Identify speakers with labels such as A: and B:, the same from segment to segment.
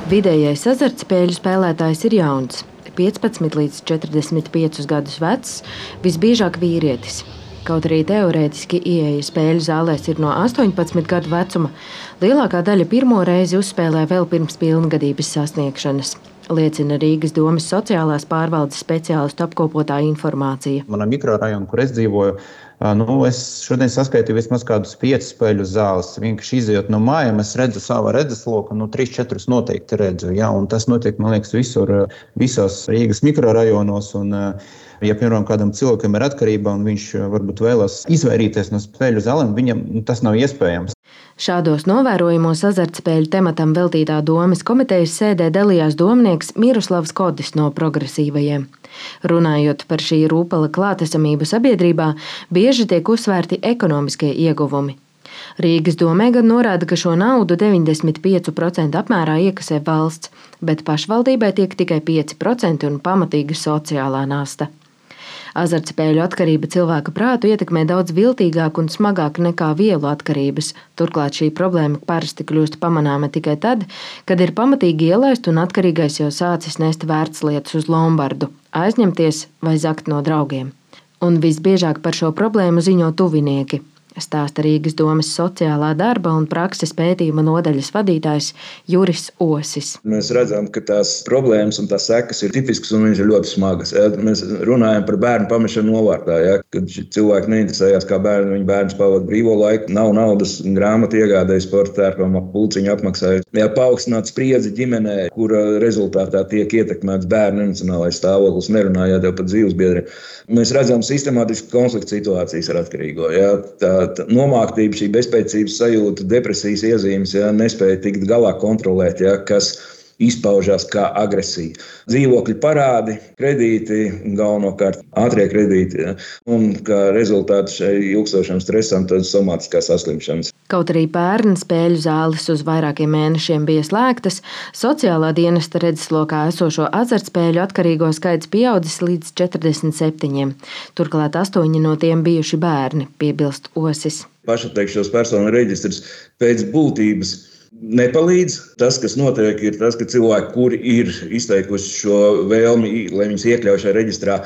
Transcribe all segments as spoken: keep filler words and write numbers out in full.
A: Vidējais azartspēļu spēlētājs ir jauns, piecpadsmit līdz četrdesmit piecus gadus vecs, visbiežāk vīrietis. Kaut arī teorētiski ieeja spēļu zālēs ir no astoņpadsmit gadu vecuma, lielākā daļa pirmo reizi uzspēlē vēl pirms pilngadības sasniegšanas, liecina Rīgas domes sociālās pārvaldes speciālistu apkopotā informācija.
B: Manā mikrorajona, kur es dzīvoju, nu, es šodien saskaitīju vismaz kādus piecus spēļu zāles. Vienkārši izejot no mājām, es redzu savu redzesloku, nu, trīs, četrus noteikti redzu. Ja? Un tas notiek, man liekas, visur, visos Rīgas mikrorajonos. Un, ja, piemēram, kādam cilvēkam ir atkarība un viņš varbūt vēlas izvairīties no spēļu zālēm, viņam tas nav iespējams.
A: Šādos novērojumos azartspēļu tematam veltītā domes komitejas sēdē dalījās domnieks Miroslavs Kodis no Progresīvajiem. Runājot par šī rūpala klātesamību sabiedrībā, bieži tiek uzsvērti ekonomiskie ieguvumi. Rīgas domē gan norāda, ka šo naudu deviņdesmit pieci procenti apmērā iekasē valsts, bet pašvaldībai tiek tikai pieci procenti un pamatīga sociālā nasta. Azartspēļu atkarība cilvēka prātu ietekmē daudz viltīgāk un smagāk nekā vielu atkarības. Turklāt šī problēma parasti kļūst pamanāma tikai tad, kad ir pamatīgi ielaist un atkarīgais jau sācis nest vērtslietas uz lombardu, aizņemties vai zakt no draugiem. Un visbiežāk par šo problēmu ziņo tuvinieki, stāsta Rīgas domes sociālā darba un prakses pētījuma nodaļas vadītājs Juris Osis.
C: Mēs redzam, ka tās problēmas un tās sekas ir tipiskas un viņas ir ļoti smagas. Ja? Mēs runājam par bērnu pamešanu novārtā, ja? Kad cilvēki neinteresējās, kā bērni, viņa bērns pavada brīvo laiku, nav naudas, grāmatu iegādēji, sporta tērpam, pulciņu apmaksāja. Ja paaugstināt spriedzi ģimenē, kura rezultātā tiek ietekmēts bērnu emocionālais stāvoklis, nerunājot jau par dzīvesbiedriem. Mēs redzam sistemātisku konfliktu situācijas ar atkarīgo. Ja? Tā nomāktība, šī bezspēcības sajūta, depresijas iezīmes, ja, nespēja tikt galā kontrolēt, ja, kas izpaužās kā agresija. Dzīvokļu parādi, kredīti, galvenokārt ātrie kredīti, ja, un kā rezultāts šai ilgstošam stresam, tad somātiskās saslimšanas.
A: Kaut arī pērn spēļu zāles uz vairākiem mēnešiem bija slēgtas, sociālā dienesta redzeslokā esošo azartspēļu atkarīgo skaits pieaudzis līdz četrdesmit septiņiem. Turklāt astoņi no tiem bijuši bērni, piebilst Osis.
C: Pašatteikšos personu reģistrs pēc būtības nepalīdz. Tas, kas notiek, ir tas, ka cilvēki, kuri ir izteikuši šo vēlmi, lai viņus iekļauj šajā reģistrā,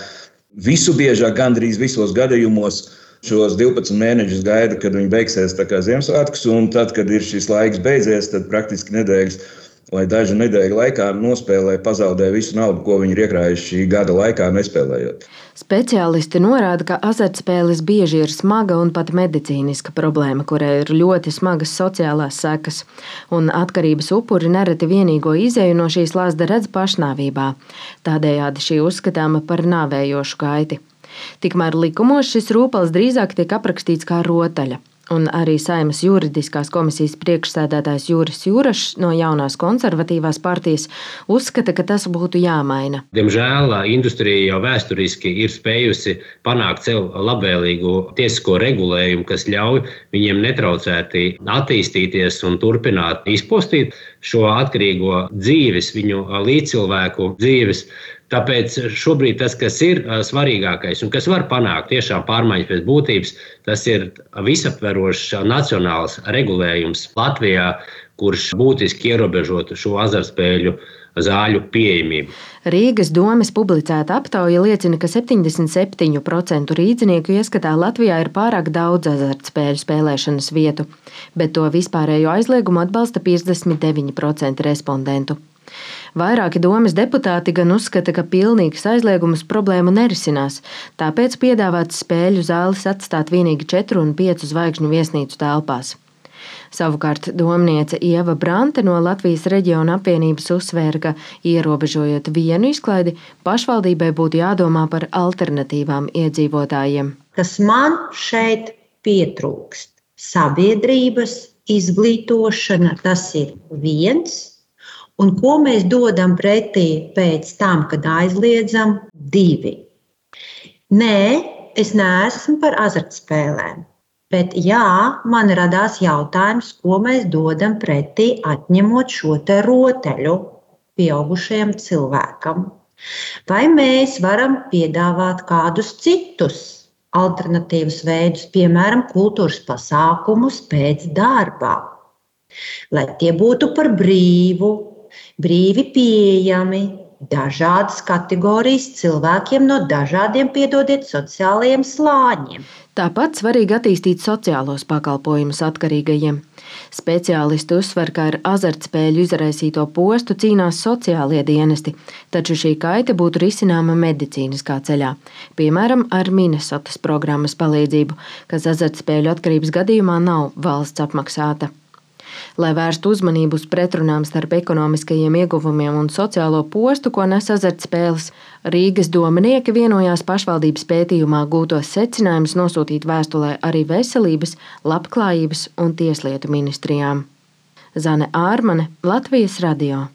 C: visu biežāk, gandrīz visos gadījumos, šos divpadsmit mēnešus gaida, kad viņi beigsies tā kā Ziemassvētkus, un tad, kad ir šis laiks beidzies, tad praktiski nedēļas vai dažu nedēļu laikā nospēlē, pazaudē visu naudu, ko viņi ir iekrājuši šī gada laikā nespēlējot.
A: Speciālisti norāda, ka azartspēles bieži ir smaga un pat medicīniska problēma, kurai ir ļoti smagas sociālās sekas, un atkarības upuri nereti vienīgo izēju no šīs lazda redz pašnāvībā. Tādējādi šī uzskatāma par nāvējošu gaiti. Tikmēr likumos šis rūpals drīzāk tiek aprakstīts kā rotaļa. Un arī Saeimas juridiskās komisijas priekšsēdētājs Juris Jurašs no jaunās konservatīvās partijas uzskata, ka tas būtu jāmaina.
D: Diemžēl industrija jau vēsturiski ir spējusi panākt sev labvēlīgu tiesisko regulējumu, kas ļauj viņiem netraucēti attīstīties un turpināt izpostīt šo atkarīgo dzīves, viņu līdzcilvēku dzīves. Tāpēc šobrīd tas, kas ir svarīgākais un kas var panākt tiešām pārmaiņas pēc būtības, tas ir visaptverošs nacionāls regulējums Latvijā, kurš būtiski ierobežotu šo azartspēļu zāļu pieejamību.
A: Rīgas domes publicēta aptauja liecina, ka septiņdesmit septiņu procentu rīdzinieku ieskatā Latvijā ir pārāk daudz azartspēļu spēlēšanas vietu, bet to vispārējo aizliegumu atbalsta piecdesmit deviņi procenti respondentu. Vairāki domes deputāti gan uzskata, ka pilnīgs aizliegums problēmu nerisinās, tāpēc piedāvāts spēļu zāles atstāt vienīgi četru un piecu zvaigžņu viesnīcu telpās. Savukārt domniece Ieva Brante no Latvijas reģiona apvienības uzsvēra, ka ierobežojot vienu izklaidi, pašvaldībai būtu jādomā par alternatīvām iedzīvotājiem.
E: Kas man šeit pietrūkst? Sabiedrības izglītošana, tas ir viens. Un ko mēs dodam pretī pēc tam, kad aizliedzam? Divi. Nē, es neesmu par azartspēlēm, bet jā, man radās jautājums, ko mēs dodam pretī atņemot šo te rotaļu pieaugušajam cilvēkam. Vai mēs varam piedāvāt kādus citus alternatīvus veidus, piemēram, kultūras pasākumus pēc darba, lai tie būtu par brīvu, brīvi pieejami dažādas kategorijas cilvēkiem no dažādiem, piedodiet, sociālajiem slāņiem.
A: Tāpat svarīgi attīstīt sociālos pakalpojumus atkarīgajiem. Speciālisti uzsver, ka ar azartspēļu izraisīto postu cīnās sociālie dienesti, taču šī kaita būtu risināma medicīniskā ceļā, piemēram, ar Minnesotas programmas palīdzību, kas azartspēļu atkarības gadījumā nav valsts apmaksāta. Lai vērstu uzmanību uz pretrunām starp ekonomiskajiem ieguvumiem un sociālo postu, ko nes azartspēles, Rīgas dominieki vienojās pašvaldības pētījumā gūtos secinājumus nosūtīt vēstulē arī veselības, labklājības un tieslietu ministrijām. Zane Ārmane, Latvijas radio.